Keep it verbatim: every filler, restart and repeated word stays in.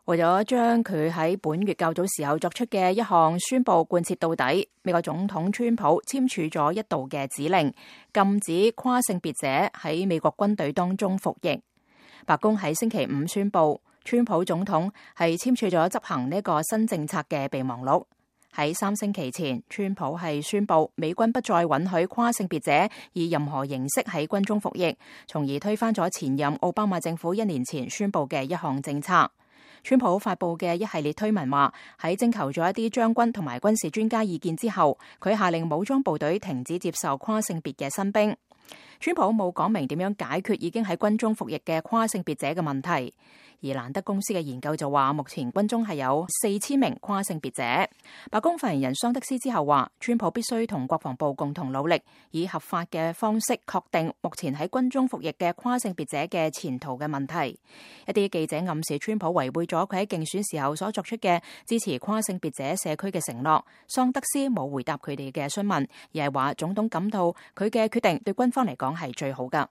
為咗將佢喺本月較早時候作出嘅一項宣佈貫徹到底，美國總統川普簽署咗一道嘅指令，禁止跨性別者喺美國軍隊當中服役。白宮喺星期五宣佈，川普總統係簽署咗執行呢個新政策嘅備忘錄。喺三星期前，川普係宣佈美軍不再允許跨性別者以任何形式喺軍中服役，從而推翻咗前任奧巴馬政府一年前宣佈嘅一項政策。川普發佈嘅一系列推文話，喺徵求咗一啲將軍同埋軍事專家意見之後，佢下令武裝部隊停止接受跨性別嘅新兵。川普冇講明點樣解決已經喺軍中服役嘅跨性別者嘅問題，而蘭德公司嘅研究就話，目前軍中係有四千名跨性別者。白宮發言人桑德斯之後話，川普必須同國防部共同努力，以合法嘅方式確定目前喺軍中服役嘅跨性別者嘅前途嘅問題。一啲記者暗示川普違背咗佢喺競選時候所作出嘅支持跨性別者社區嘅承諾。桑德斯冇回答佢哋嘅詢問，而係話總統感到佢嘅決定對軍方嚟講係最好㗎。